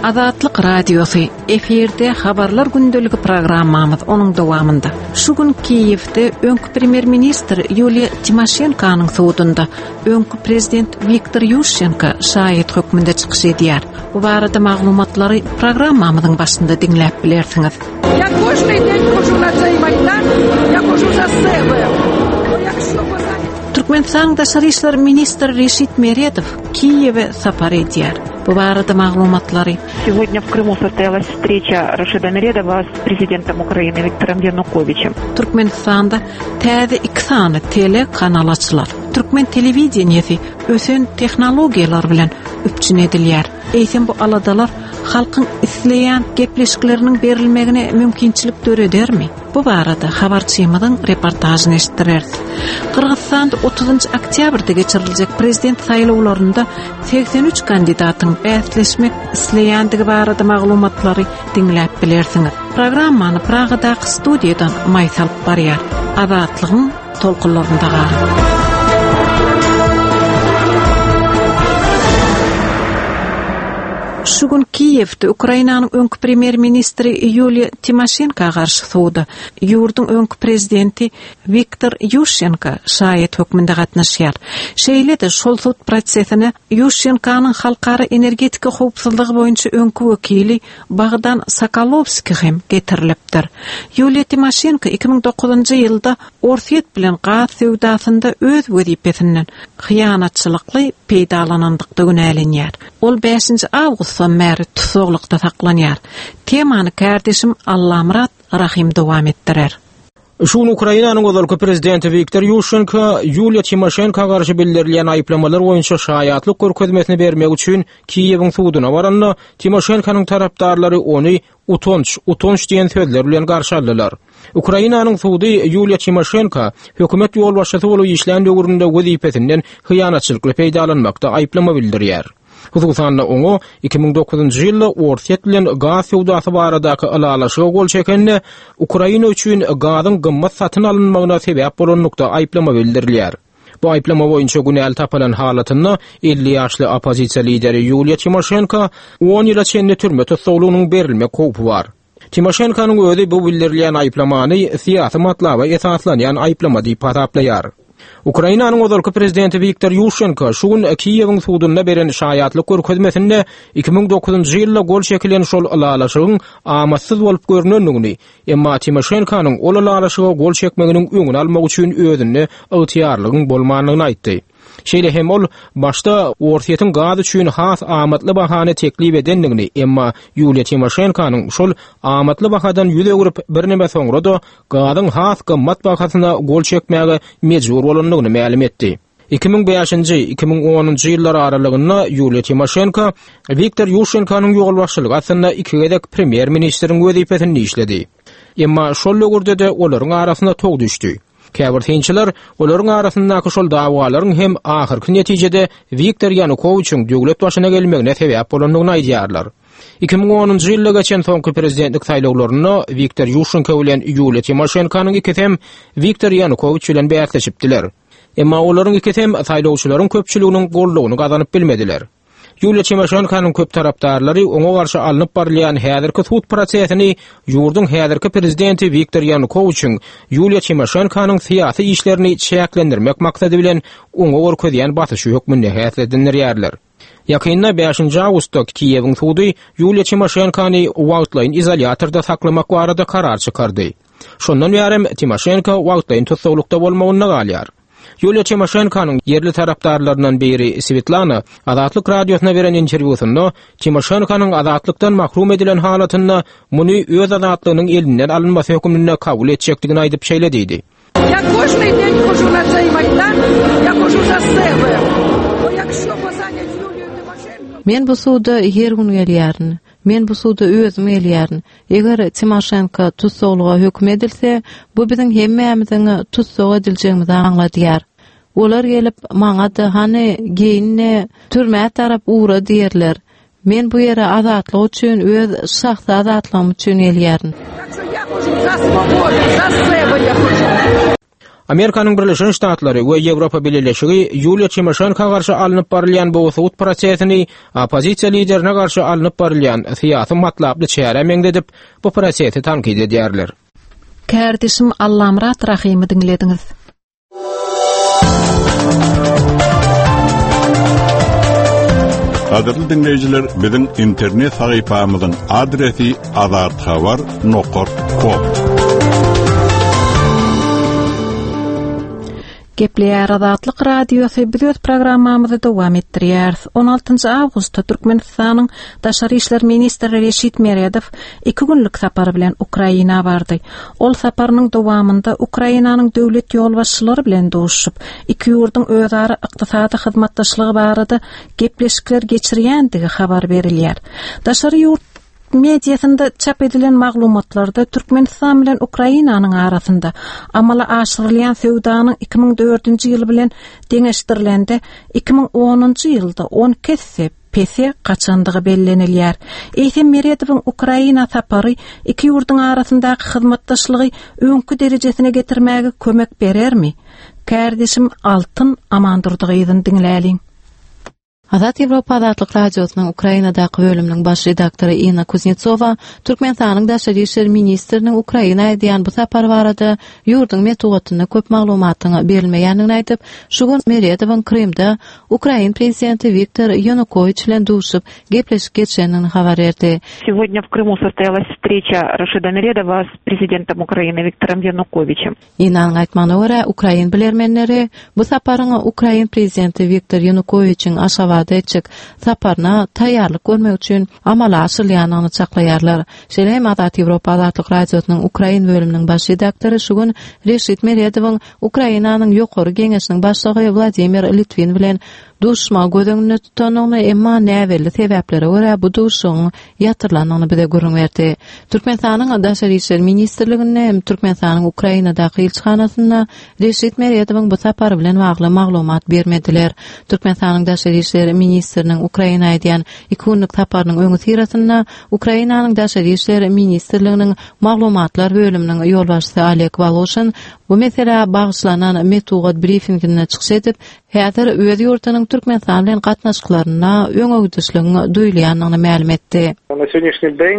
Azatlyk Radiosy, efirde Habarlar gündeligi programmamyz, onuň dowamynda. Şu gün Kiýewde öňki premýer-ministr Ýuliýa Timoşenkonyň sudunda öňki prezident Wiktor Ýuşçenko şaýat hökmünde çykyş edýär. Bu barada maglumatlary programmamyzyň başynda diňläp bilersiňiz. Türkmenistanyň daşary işler ministri Reşit Meredow Kiýewe sapar edýär. Bu barada maglumatlary Сегодня в Крыму состоялась встреча Рашида Meredowa с президентом Украины Виктором Януковичем. Türkmenistanda täze iki sany tele kanal açylar. Türkmen telewideniýesi ösen tehnologiýalar bilen üpjün edilýär. Eýsem bu aladalar halkyň isleýän gepleşikleriniň berilmegine mümkinçilik döredermi? Bu barada habarçymyzyň reportažyny eşitdireris. Gyrgyzystanda 30-njy oktýabrda geçiriljek prezident saýlawlarynda 83 kandidatyň bäsleşmek isleýändigi barada maglumatlary diňläp bilersiňiz. Programmany Pragadaky studiýadan Maýsa alyp barýar. Azatlygyň tolkunlarynda galyň. Şu gün Kiýewde Ukrainanyň öňki premýer-ministri Ýuliýa Timoşenko garşy suda ýurduň öňki prezidenti Wiktor Ýuşçenko şaýat hökmünde gatnaşýar. Şeýle-de şol sud prosesine Ýuşçenkonyň halkara energetika howpsuzlygy boýunça öňki wekili Bogdan Sokolowskiý hem getirilipdir. Ýuliýa Timoşenko 2009-njy ýylda Orsýet bilen gaz söwdasynda öz wezipesinden hyýanatçylykly peýdalanandykda günälenýär. Ol bäşinji awgustdan bäri tussaglykda saklanýar. Temany kärdeşim Allamyrat Rahym dowam etdirer. Şu gün Ukrainanyň ozalky prezidenti Wiktor Ýuşçenko Ýuliýa Timoşenko garşy bildirilýän aýyplamalar boýunça şaýatlyk görkezmesini bermek üçin Kiýewiň suduna baranda, Timoşenkonyň tarapdarlary ony Utanç, utanç diýen sözler bilen garşy aldylar. Ukrainanyň sudy Ýuliýa Timoşenko hökümet ýolbaşçysy bolup işlän döwründe wezipesinden hyýanatçylykly peýdalanmakda aýyplama bildirýär. Hususan-da, oňa 2009-njy ýylda Orsýet bilen gaz söwdasy baradaky ylalaşyga gol çekende, Ukraina üçin gazyň gymmat satyn alynmagyna sebäp bolanlykda aýyplama bildirilýär. Bu aýyplama boýunça günäli tapylan halatynda 50 ýaşly oppozisiýa lideri Ýuliýa Timoşenko on ýyla çenli türme tussaglygynyň berilmek howpy bar. Timoşenkonyň özi bu bildirilýän aýyplamany syýasy matlaba esaslanýan aýyplama diýip hasaplaýar. Ukrainanyň ozalky prezidenti Wiktor Ýuşçenko şu gün Kiýewiň sudunda beren şaýatlyk görkezmesinde 2009-njy ýylda gol çekilen şol ylalaşygyň amatsyz bolup görnendigini, Emma Timoşenkonyň ol ylalaşyga gol çekmeginiň öňüni almak üçin özünde ygtyýarlygyň bolmandygyny aýtdy. Şeýle hem ol başda Orsýetiň gaz üçin has amatly bahany teklip edendigini, emma Ýuliýa Timoşenkonyň şol amatly bahadan ýüz öwrüp, birneme soňra-da gazyň has gymmat bahasyna gol çekmäge mejbur bolandygyny mälim etdi. 2005-nji, 2010-njy ýyllar aralygynda Ýuliýa Timoşenko Wiktor Ýuşenkonyň ýolbaşçylygy astynda iki gezek premýer-ministriň wezipesinde işledi. Emma şol döwürde-de olaryň arasyna tow düşdi. Käbir synçylar olaryň arasyndaky şol dawalaryň hem ahyrky netijede Wiktor Ýanukowiçiň döwlet başyna gelmegine sebäp bolandygyny aýdýarlar. 2010-njy ýylda geçen soňky prezidentlik saýlawlarynda Wiktor Ýuşenko bilen Ýuliýa Timoşenkonyň ikisem Wiktor Ýanukowiç bilen bäsleşipdiler. Emma olaryň ikisem saýlawçylaryň köpçüliginiň goldawyny gazanyp bilmediler. Ýuliýa Timoşenkonyň köp tarapdarlary oňa garşy alnyp barylýan häzirki sud prosesini ýurduň häzirki prezidenti Wiktor Ýanukowiçiň Ýuliýa Timoşenkonyň syýasy işlerini çäklendirmek maksady bilen oňa görkezýän basyşy hökmünde häsiýetlendirýärler. Ýakynda bäşinji awgustda Kiýewiň sudy Ýuliýa Timoşenkony wagtlaýyn izolýatorda saklamak barada karar çykardy. Şondan bärem Timoşenko wagtlaýyn tussaglykda bolmagynda galýar. Ýuliýa Timoşenkonyň ýerli tarapdarlaryndan biri Swetlana Azatlyk Radiosyna beren interwýusynda Timoşenkonyň azatlykdan mahrum edilen halatynda muny öz azatlygynyň elinden alynmasy hökmünde kabul etjekdigini aýdyp şeýle diýdi. Men bu suda her gün gelýärin. Men bu suda özüm gelýärin. Eger Timoşenko tussaglyga höküm edilse, bu biziň hemmämiziň tussag ediljegimizi aňladýar. Olar gelip, maňa-da, hany, geýin-de, türmä tarap ugra diýerler. Men bu ýere azatlyk üçin, öz şahsy azatlygym üçin gelýärin. Amerikanyň Birleşen Ştatlary we Ýewropa Bileleşigi Ýuliýa Timoşenko garşy alnyp barylýan bu sud prosesini oppozisiýa liderine garşy alnyp barylýan syýasy matlaply çärä meňzedip, bu prosesi tankyt edýärler. Kärdeşim Allamyrat Rahymy diňlediňiz. Gadyrly diňleýjiler, biziň internet sahypamyzyň adresi azathabar nokat kom. Gepleýär Azatlyk Radiosy biz öz programmamyzy dowam etdirýäris. 16 awgustda Türkmenistanyň Daşary işler ministri Reşit Meredow iki günlük sapar bilen Ukraina bardy. Ol saparynyň dowamynda Ukrainanyň döwlet ýolbaşçylary bilen duşuşyp, iki ýurduň özara ykdysady hyzmatdaşlygy barada gepleşikler geçirýändigi habar berilýär. Daşary ýurt mediasynda çap edilen maglumatlarda Türkmenistan bilen Ukrainanyň arasynda amala aşyrylýan söwdanyň 2004-nji ýyl bilen deňeşdirilende 2010-njy ýylda 12 esse pese gaçandygy bellenilýär. Eýsem Meredowyň Ukraina sapary iki ýurduň arasyndaky hyzmatdaşlygy öňki derejesine getirmäge kömek berermi? Kärdeşim Altyn Amandurdy gyzyny diňläliň. Azat Ýewropa Azatlyk Radiosynyň Ukrainadaky bölüminiň baş redaktory Inna Kuznetsowa Türkmenistanyň daşary işler ministriniň Ukraina edýän bu sapary barada ýurduň metbugatynda köp maglumatyň berilmeýändigini aýdyp, şu gün Meredowyň Krymda Ukrain prezidenti Wiktor Ýanukowiç bilen duşup, gepleşik geçirendigini habar berdi. Сегодня в Крыму состоялась встреча Рашида Meredowa с президентом Украины Виктором Януковичем. Inanyň aýtmagyna görä, ukrain bilermenleri bu saparyň ukrain prezidenti Wiktor Ýanukowiçiň Aşgabada etjek saparyna taýýarlyk görmek üçin amala aşyrylýandygyny çaklaýarlar. Şeýle hem Azat Ýewropa Azatlyk Radiosynyň ukrain bölüminiň baş redaktory şu gün Reşit Meredowyň Ukrainanyň Ýokary Geňeşiniň başlygy Wladimir Litwin bilen duşuşmagy göz öňünde tutandygyny, emma näbelli sebäplere görä bu duşuşygyň ýatyrylandygyny bize gürrüň berdi. Türkmenistanyň Daşary işler ministrliginde hem Türkmenistanyň Ukrainadaky ilçihanasynda Reşit Meredowyň bu sapary bilen bagly maglumat bermediler. Türkmenistanyň Daşary işler ministriniň Ukraina edýän iki günlük saparynyň öňüsyrasynda Ukrainanyň Daşary işler ministrliginiň maglumatlar bölüminiň ýolbaşçysy Oleg Woloşin bu meselä bagyşlanan metbugat brifinginde çykyş edip, häzir öz ýurdunyň Türkmenistan bilen gatnaşyklarynda öňegidişligiň duýulýandygyny mälim etdi. Na segodnişniý deň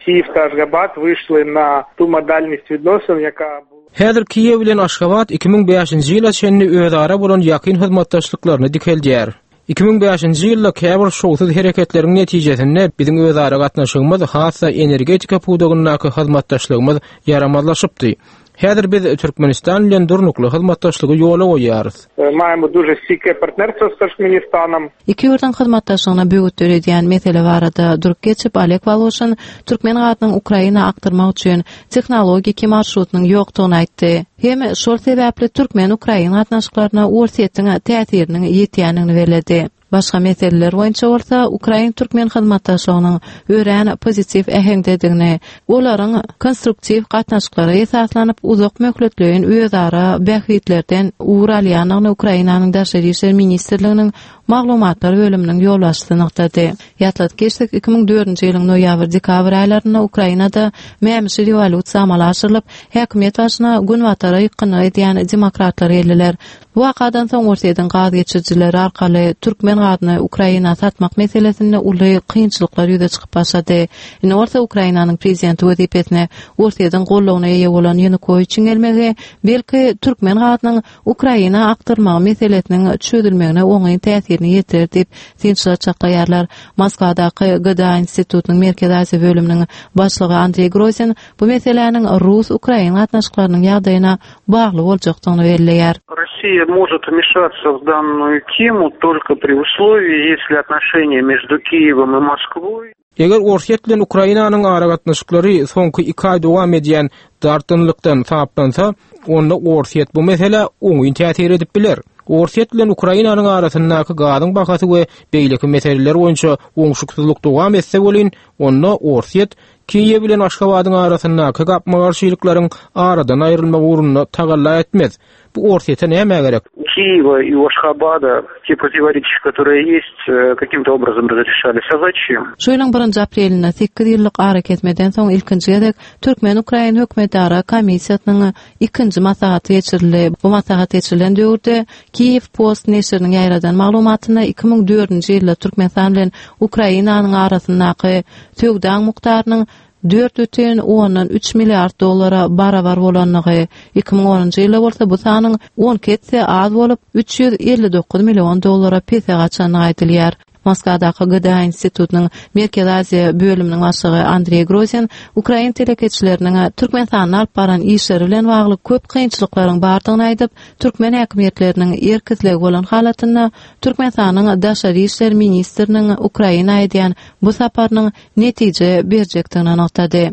Kiýew ta Aşgabat wyşli na tu modalnost widnosyn, ýaka bula. Häzir Kiýew bilen Aşgabat 2005-nji ýyla çenli özara bolan ýakyn hyzmatdaşlyklaryny dikeldýär. 2005-nji ýylda käbir şowsuz hereketleriň netijesinde biziň özara gatnaşygymyz, has-da energetika pudagyndaky hyzmatdaşlygymyz ýaramazlaşypdy. Häzir biz Türkmenistan bilen durnukly hyzmatdaşlygy ýola goýýarys. Maýemo duže stýke partnerstwo s Turkmenistanom. Iki ýurduň hyzmatdaşlygyna böwet döredýän mesele barada durup geçip, Oleg Woloşin türkmen gazynyň Ukraina akdyrmak üçin tehnologiki marşrutynyň ýokdugyny aýtdy. Hem şol sebäpli türkmen-ukrain gatnaşyklaryna Orsýetiň täsiriniň ýetýändigini belledi. Başga meseleler boýunça bolsa ukrain-türkmen hyzmatdaşlygynyň örän pozitiw äheňdedigini, olaryň konstruktiw gatnaşyklara esaslanyp uzak möhletleýin özara bähbitlerden ugur alýandygyny Ukrainanyň Daşary işler ministrliginiň maglumatlar bölüminiň ýolbaşçysy nygtady. Ýatladyp geçsek, 2004-nji ýylyň noýabr-dekabr aýlarynda Ukrainada mämişi rewolýusiýa amala aşyrylyp, häkimiýet başyna Günbatara ýykgynlyk edýän demokratlar geldiler. Bu wakadan soň Orsýetiň gaz geçirijileri arkaly türkmen gazyny Ukraina satmak meselesinde uly kynçylyklar ýüze çykyp başlady. Indi bolsa Ukrainanyň prezidenti wezipesine Orsýetiň goldawyna eýe bolan Ýanukowiçiň gelmegi, belki, türkmen gazynyň Ukraina akdyrylmagy meselesiniň çözülmegine oňyn täsirini ýetirer diýip, synçylar çaklaýarlar. Moskwadaky GDA institutynyň Merkezi Aziýa bölüminiň başlygy Andreý Grozin bu meseläniň rus-ukrain gatnaşyklarynyň ýagdaýyna bagly boljakdygyny belleýär. Rossiýa может wmешаться в данную тему только при условии, если отношения между Киевом и Москвой Eger Orsýet bilen Ukrainanyň aragatnaşyklary soňky iki aý dowam edýän dartgynlykdan saplansa, onda Orsýet bu meselä oňyn täsir edip biler. Orsýet bilen Ukrainanyň arasyndaky gazyň bahasy we beýleki meseleler boýunça oňşuksyzlyk dowam etse welin, onda Orsýet Kiýew bilen Aşgabadyň arasyndaky gapma-garşylyklaryň aradan aýrylmagy ugrunda tagalla etmez. Bu Orsýete nämä gerek? Kiýewa и у Ашхабада те противоречия, которые есть, э, каким-то образом разрешались. А зачем? Şu ýylyň birinji aprelinde sekiz ýyllyk arakesmeden soň ilkinji gezek türkmen-ukrain hökümetara komissiýasynyň ikinji maslahaty geçirildi. Bu maslahat geçirilen döwürde Kiýew Post neşiriniň ýaýradan maglumatynda 2004-nji ýylda Türkmenistan bilen Ukrainanyň arasyndaky söwdaň mukdarynyň 4,3 milliard dollara barabar bolandygy, 2010-njy ýylda bolsa bu sanyň 12 esse az bolup, 359 million dollara pese gaçandygy aýdylýar. Moskwadaky GDA institutynyň Merkezi Aziýa bölüminiň başlygy Andreý Grozin ukrain telekeçileriniň Türkmenistanda alyp baran işleri bilen bagly köp kynçylyklaryň bardygyny aýdyp, türkmen häkimiýetleriniň erk-islegi bolan halatynda Türkmenistanyň daşary işler ministriniň Ukraina edýän bu saparynyň netije berjekdigini nygtady.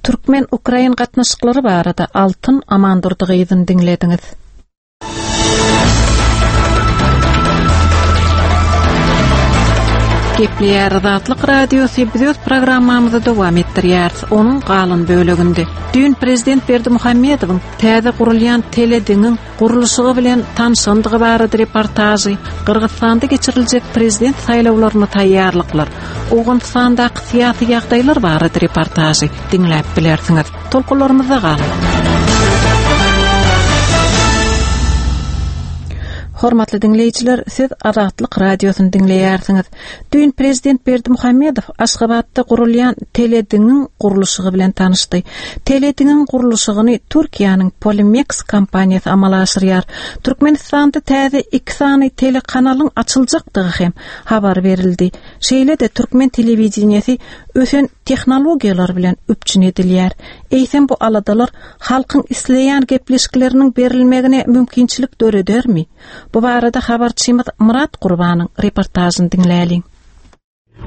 Türkmen-ukrain gatnaşyklary barada Altyn Amandurdy gyzyny diňlediňiz. Gepleýär Azatlyk Radiosy biz öz programmamyzy dowam etdirýäris. Onuň galan böleginde düýn prezident Berdimuhamedowyň täze gurulýan telediňiň gurluşygy bilen tanşandygy barada reportažy, Gyrgyzystanda geçiriljek prezident saýlawlaryna taýýarlyklar, Owganystandaky syýasy ýagdaýlar barada reportažy diňläp bilersiňiz. Tolkunlarymyzda galyň. Hormatly diňleýjiler, siz Azatlyk Radiosyny diňleýärsiňiz. Düýn prezident Berdimuhamedow Aşgabatda gurulýan telediňiň gurluşygy bilen tanyşdy. Telediňiň gurluşygyny Türkiýäniň Polimex kompaniýasy amala aşyrýar. Türkmenistanda täze iki sany telekanalyň açyljakdygy hem habar berildi. Şeýle-de türkmen telewideniýesi ösen tehnologiýalar bilen üpjün edilýär. Eýsem bu aladalar halkyň isleýän gepleşikleriniň berilmegine mümkinçilik döredermi? Bu barada habarçymyz Myrat Gurbanyň reportažyny diňläliň.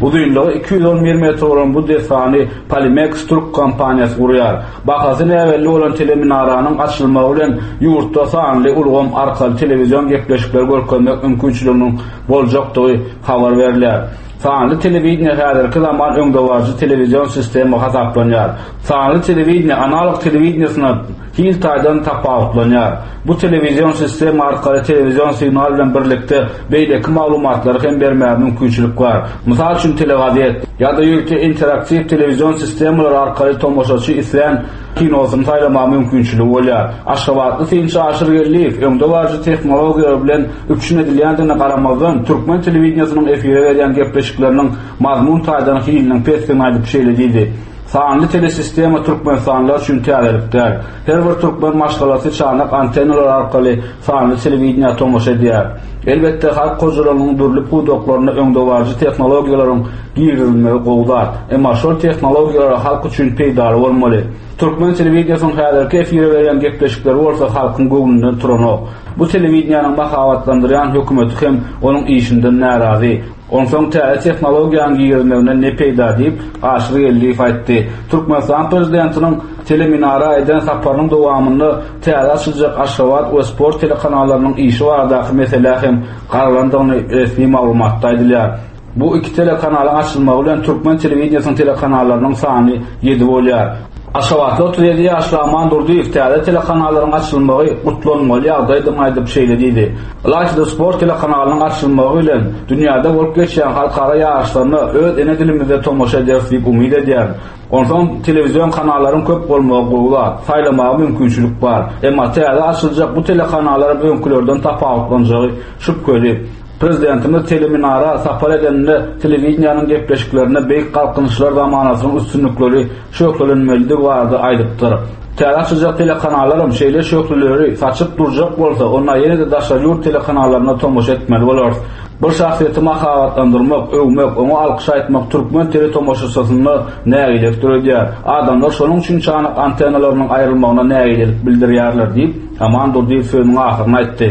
Uzynlygy 211 metr bolan bu desgany Polimex türk kompaniýasy gurýar. Bahasy näbelli bolan teleminaranyň açylmagy bilen ýurtda sanly ulgam arkaly telewizion gepleşikleri görkezmek mümkinçiliginiň boljakdygy habar berilýär. Sanly telewideniýe häzirki zaman öňdebaryjy telewizion sistema hasaplanýar. Sanly telewideniýe analog telewideniýesine hil taýdan tapawutlanýar. Bu telewizion sistema arkaly telewizion signal bilen birlikde beýleki maglumatlary hem bermäge mümkinçilik bar. Mysal üçin telegazet ýa-da ýörite interaktiw telewizion sistemalary arkaly tomaşaçy islän kinosyny saýlamaga mümkinçiligi bolýar. Aşgabatly synçy Aşyr Geldiýew öňdebaryjy tehnologiýalar bilen üpjün edilýändigine garamazdan, türkmen telewideniýesiniň efire berýän gepleşikleriniň mazmun taýdan hiliniň pesdigini aýdyp şeýle diýdi, Sanly telesistema türkmenistanlylar üçin täzelik däl. Her bir türkmen maşgalasy çanak antennalar arkaly sanly telewideniýä tomaşa edýär. Elbetde, halk hojalygynyň dürli pudaklarynda öňdebaryjy tehnologiýalaryň girizilmegi gowy zat. Emma şol tehnologiýalar halk üçin peýdaly bolmaly. Türkmen telewideniýesiniň häzirki efire berýän gepleşikleri bolsa halkyň göwnünden turanok. Bu telewideniýäniň mahabatlandyrýan hökümeti hem onuň işinden närazy. Onsoň täze tehnologiýanyň girizmeginden ne peýda diýip, Aşyr Geldiýew aýtdy. Türkmenistan prezidentiniň teleminara eden saparynyň dowamynda täze açyljak Aşgabat we Sport telekanallarynyň işi baradaky meselä hem garalandygyny resmi maglumatda aýdylýar. Bu iki telekanalyň açylmagy bilen türkmen telewideniýesiniň telekanallarynyň sany ýedi bolýar. Aşgabatly 37 ýaşly Aman Durdyýew täze telekanallaryň açylmagy gutlanmaly ýagdaýdygyny aýdyp şeýle diýdi, Ylaýta-da sport telekanalynyň açylmagy bilen dünýäde bolup geçýän halkara ýaryşlaryna öz ene dilimizde tomaşa ederis diýip umyt edýärin. Onsoň telewizion kanallaryň köp bolmagy gowy zat, saýlamaga mümkinçilik bar. Emma täze açyljak bu telekanalaram öňkülerden tapawutlanjagy şübheli. Prezidentimiz teleminara sapar edeninde telewideniýäniň gepleşiklerinde beýik Galkynyşlar zamanasynyň üstünlikleri şöhlelenmelidigi barada aýdypdyr. Täze açyljak telekanallaram şeýle şöhleleri saçyp durjak bolsa, onda ýene-de daşary ýurt telekanallaryna tomaşa etmeli bolarys. Bir şahsyýeti mahabatlandyrmak, öwmek, oňa alkyş aýtmak türkmen teletomaşaçysynda nägilelik döredýär. Adamlar şonuň üçin çanak antennalarynyň aýrylmagyna nägilelik bildirýärler diýip, Aman Durdyýew sözüniň ahyrynda aýtdy.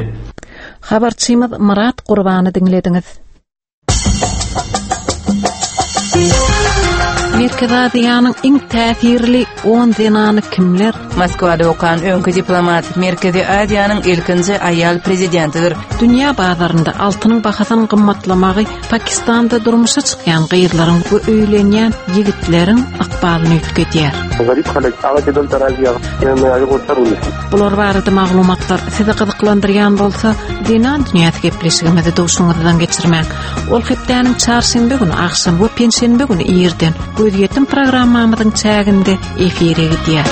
Habarçymyz Myrat Gurbany diňlediňiz. Merkezi Aziýanyň iň täsirli on zenany kimler? Moskwada okan öňki diplomat Merkezi Aziýanyň ilkinji aýal prezidentidir. Dünýä bazarynda altynyň bahasynyň gymmatlamagy Pakistanda durmuşa çykýan gyzlaryň we öýlenýän ýigitleriň ykbalyny üýtgedýär. Bular barada maglumatlar sizi gyzyklandyrýan bolsa, Zenan dünýäsi gepleşigimizi duşuňyzdan geçirmäň. Ol hepdäniň çarşenbe güni agşam we penşenbe güni irden gözýetim programmamyzyň çäginde efire gidýär.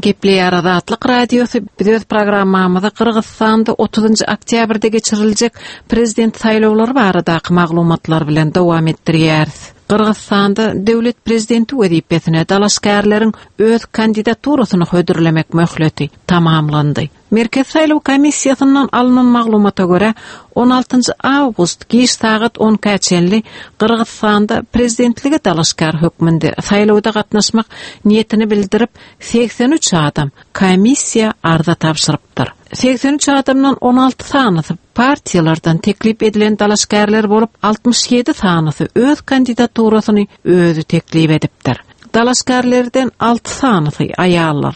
Gepleýär Azatlyk Radiosy biz öz programmamyzy Gyrgyzystanda 30-njy oktýabrda geçiriljek prezident saýlawlary baradaky maglumatlar bilen dowam etdirýäris. Gyrgyzystanda döwlet prezidenti wezipesine dalaşgärleriň öz kandidaturasyny hödürlemek möhleti tamamlandy. Merkezi saýlaw komissiýasyndan alnan maglumata görä, on altynjy awgust giç sagat on ikä çenli Gyrgyzystanda prezidentlige dalaşgär hökmünde saýlawda gatnaşmak niýetini bildirip, 83 adam komissiýa arza tabşyrypdyr. 83 adamdan 16 sanysy partiýalardan teklip edilen dalaşgärler bolup, 67 sanysy öz kandidaturasyny özi teklip edipdir. Dalaşgärlerden alty sanysy aýallar.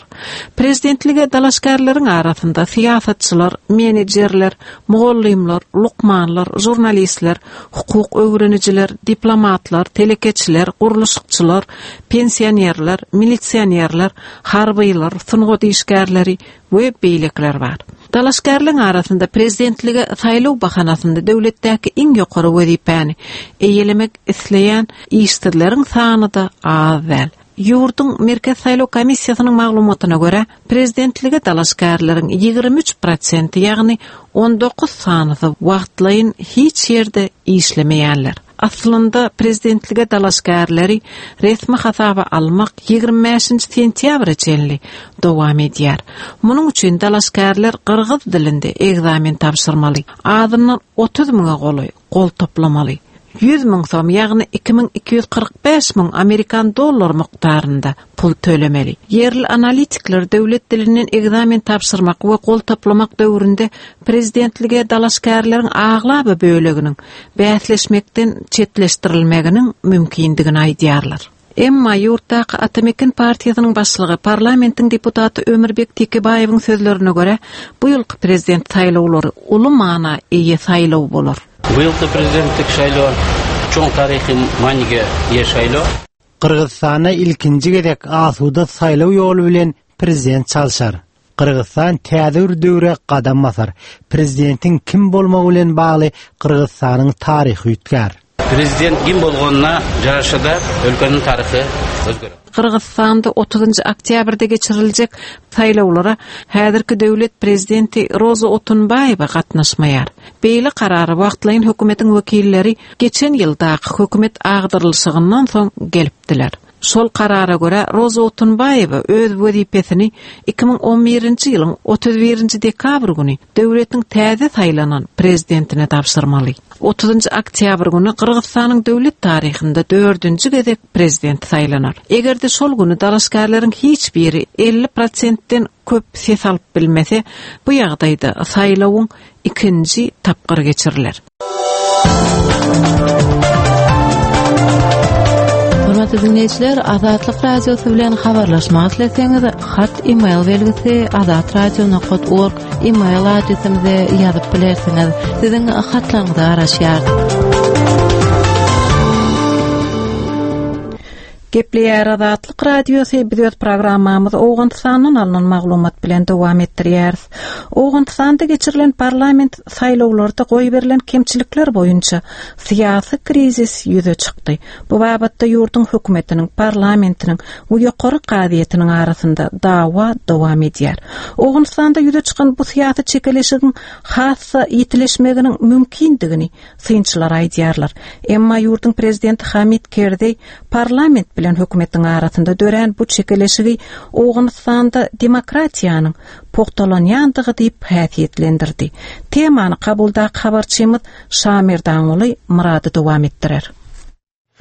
Prezidentlige dalaşgärleriň arasynda syýasatçylar, menejerler, mugallymlar, lukmanlar, žurnalistler, hukuk öwrenijiler, diplomatlar, telekeçiler, gurluşykçylar, pensionerler, milisionerler, harbylar, sungat işgärleri we beýlekiler bar. Dalaşgärleň arasynda prezidentlige saýlaw bahanasynda döwletdäki iň ýokary wezipäni eýelemek isleýän işsizleriň sany-da az däl. Ýurduň Merkezi saýlaw komissiýasynyň maglumatyna görä, prezidentlige dalaşgärleriň 23 prosenti, ýagny 19 sanysy wagtlaýyn hiç ýerde işlemeýänler. Aslynda, prezidentlige dalaşgärleri resmi hasaba almak 25-nji sentýabra çenli dowam edýär. Munuň üçin dalaşgärler gyrgyz dilinde ekzamen tabşyrmaly, azyndan 30 müňe golaý gol toplamaly. 100 müň som, ýagny 2245 müň amerikan dollary mukdarynda pul tölemeli. Ýerli analitikler döwlet dilinden ekzamen tabşyrmak we gol toplamak döwründe prezidentlige dalaşgärleriň aglaba böleginiň bäsleşmekden çetleşdirilmeginiň mümkindigini aýdýarlar. Emma ýurtdaky Ata-Meken partiýasynyň başlygy, parlamentiň deputaty Ömürbek Tekebaýewiň sözlerine görä, bu ýylky prezident saýlawlary uly mana eýe saýlaw bolar. Bu ýylky prezidentlik saýlawy çuň taryhy manyga eýe saýlaw. Gyrgyzystanda ilkinji gezek asuda saýlaw ýoly bilen prezident çalşar. Gyrgyzystan täze bir döwre gadam basar. Prezidentiň kim bolmagy bilen bagly Gyrgyzystanyň taryhy üýtgär. Prezident kim bolganyna jaraşa-da ülkäniň taryhy özgerer. Gyrgyzystanda otuzynjy oktýabrda geçiriljek saýlawlara häzirki döwlet prezidenti Roza Otunbaýewa gatnaşmaýar. Beýle karara wagtlaýyn hökümetiň wekilleri geçen ýyldaky hökümet agdarylyşygyndan soň gelipdiler. Şol karara görä, Roza Otunbaýewa öz wezipesini 2011-nji ýylyň 31-nji dekabr güni döwletiň täze saýlanan prezidentine tabşyrmaly. Otuzynjy oktýabr güni Gyrgyzystanyň döwlet taryhynda dördünji gezek prezident saýlanar. Eger-de şol güni dalaşgärleriň hiç biri 50 prosentden köp ses alyp bilmese, bu ýagdaýda saýlawyň ikinji tapgyry geçiriler. Hormatly diňleýjiler, Azatlyk Radiosy bilen habarlaşmak isleseňiz, hat e-mail belgisi azatradio.org e-mail adresimize ýazyp bilersiňiz. Siziň hatlaryňyza garaşýarys. Gepleýär Azatlyk Radiosy, biz öz programmamyzy Owganystandan alnan maglumat bilen dowam etdirýäris. Owganystanda geçirilen parlament saýlawlarda goýberilen kemçilikler boýunça syýasy krizis ýüze çykdy. Bu babatda ýurduň hökümetiniň, parlamentiniň we ýokary kazyýetiniň arasynda dawa dowam edýär. Owganystanda ýüze çykan bu syýasy çekeleşigiň has-da ýitileşmeginiň mümkindigini synçylar aýdýarlar. Emma ýurduň prezidenti Hamid Kerzeý parlament bilen hökümetiň arasynda dörän bu çekeleşigi Owganystanda demokratiýanyň pugtalanýandygy diýip häsiýetlendirdi. Temany Kabuldaky habarçymyz Şamerdanguly Myrady dowam etdirer.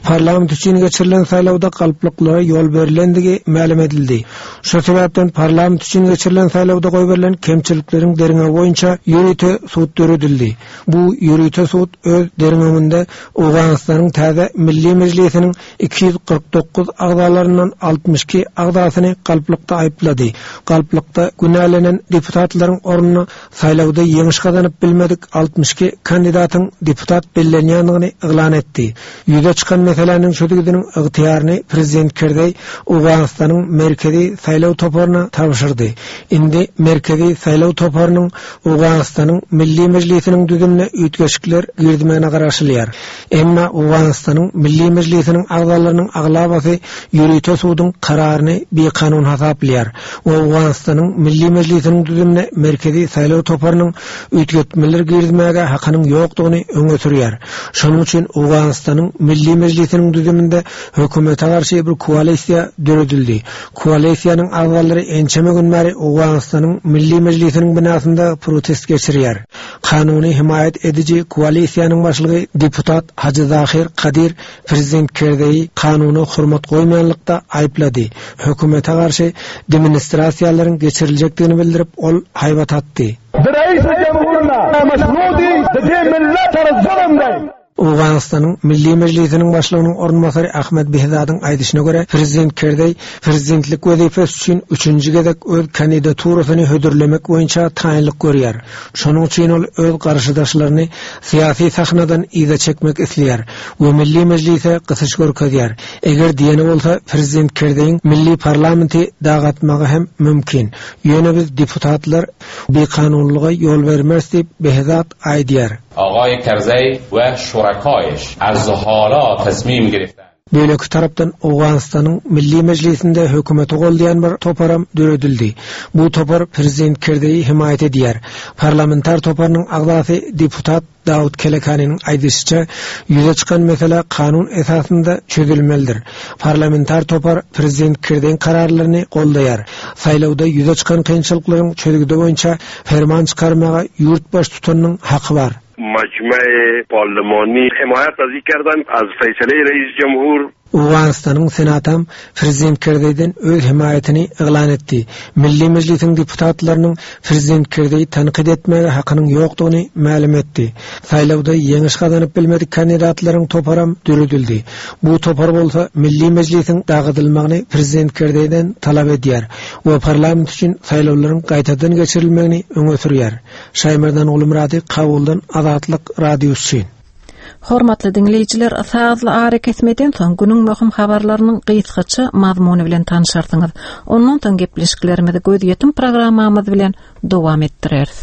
Parlament üçin geçirilen saýlawda galplyklara ýol berlendigi mälim edildi. Şo sebäpden parlament üçin geçirilen saýlawda goýberilen kemçilikleriň derňewi boýunça ýörite sud döredildi. Bu ýörite sud öz derňewinde Owganystanyň täze Milli Mejlisiniň 249 agzalaryndan 62 agzasyny galplykda aýyplady. Galplykda günälenen deputatlaryň ornuna saýlawda ýeňiş gazanyp bilmedik 62 kandidatyň deputat bellenýändigini yglan etdi. Ýüze çykan meseläniň çözgüdiniň ygtyýaryny prezident Kerzeý Owganystanyň Merkezi saýlaw toparyna tabşyrdy. Indi Merkezi saýlaw toparynyň Owganystanyň Milli Mejlisiniň düzümine üýtgeşikler girizmegine garaşylýar. Emma Owganystanyň Milli Mejlisiniň agzalarynyň aglabasy ýörite suduň kararyny bikanun hasaplaýar we Owganystanyň Milli Mejlisiniň düzümine Merkezi saýlaw toparynyň üýtgetmeler girizmäge hakynyň ýokdugyny öňe sürýär. Şonuň üçin Owganystanyň Milli Mejlisiniň düzüminde hökümete garşy bir koalisiýa döredildi. Koalisiýanyň agzalary ençeme gün bäri Owganystanyň Milli Mejlisiniň binasynda protest geçirýär. Kanuny hemaýat ediji koalisiýanyň başlygy deputat Hajy Zahir Kadir prezident Kerzeýi kanuna hormat goýmaýanlykda aýyplady. Hökümete garşy demonstrasiýalaryň geçiriljekdigini bildirip, ol haýbat atdy. Owganystanyň Milli Mejlisiniň başlygynyň orunbasary Ahmed Behzadyň aýdyşyna görä, prezident Kerzeý prezidentlik wezipesi üçin üçünji gezek öz kandidaturasyny hödürlemek boýunça taýynlyk görýär. Şonuň üçin ol öz garşydaşlaryny syýasy sahnadan yza çekmek isleýär we Milli Mejlise gysyş görkezýär. Eger diýeni bolsa, prezident Kerzeýiň milli parlamenti dagatmagy hem mümkin. Ýöne biz deputatlar bikanunlyga ýol bermeris diýip, Behzad aýdýar. Agay Kerzeý we şurakaýyş az hala tasmim giriftand. Beýleki tarapdan Owganystanyň Milli Mejlisinde hökümeti goldaýan bir toparam döredildi. Bu topar prezident Kerzeýi hemaýat edýär. Parlamentar toparynyň agzasy deputat Dawut Kelekanynyň aýdyşyça, ýüze çykan mesele kanun esasynda çözülmelidir. Parlamentar topar prezident Kerzeýiň kararlaryny goldaýar. Saýlawda ýüze çykan kynçylyklaryň çözgüdi boýunça perman çykarmaga ýurt baştutanynyň haky bar. Majmai parlimani himayat az kerdan az feýsale reis jumhur. Owganystanyň Senatam prezident Kerzeýden öz hemaýatyny yglan etdi. Milli Mejlisiň deputatlarynyň prezident Kerzeýi tankyt etmäge hakynyň ýokdugyny mälim etdi. Saýlawda ýeňiş gazanyp bilmedik kandidatlaryň toparam döredildi. Bu topar bolsa Milli Mejlisiň dagadylmagyny prezident Kerzeýden talap edýär we parlament üçin saýlawlaryň gaýtadan geçirilmegini öňe sürýär. Şaýmerdan Gulmyrady Kabuldan Azatlyk Radiosy üçin. Hormatly diňleýjiler, sazly arakesmeden soň günüň möhüm habarlarynyň gysgaça mazmuny bilen tanşarsyňyz. Ondan soň gepleşiklerimizi gözýetim programmamyz bilen dowam etdireris.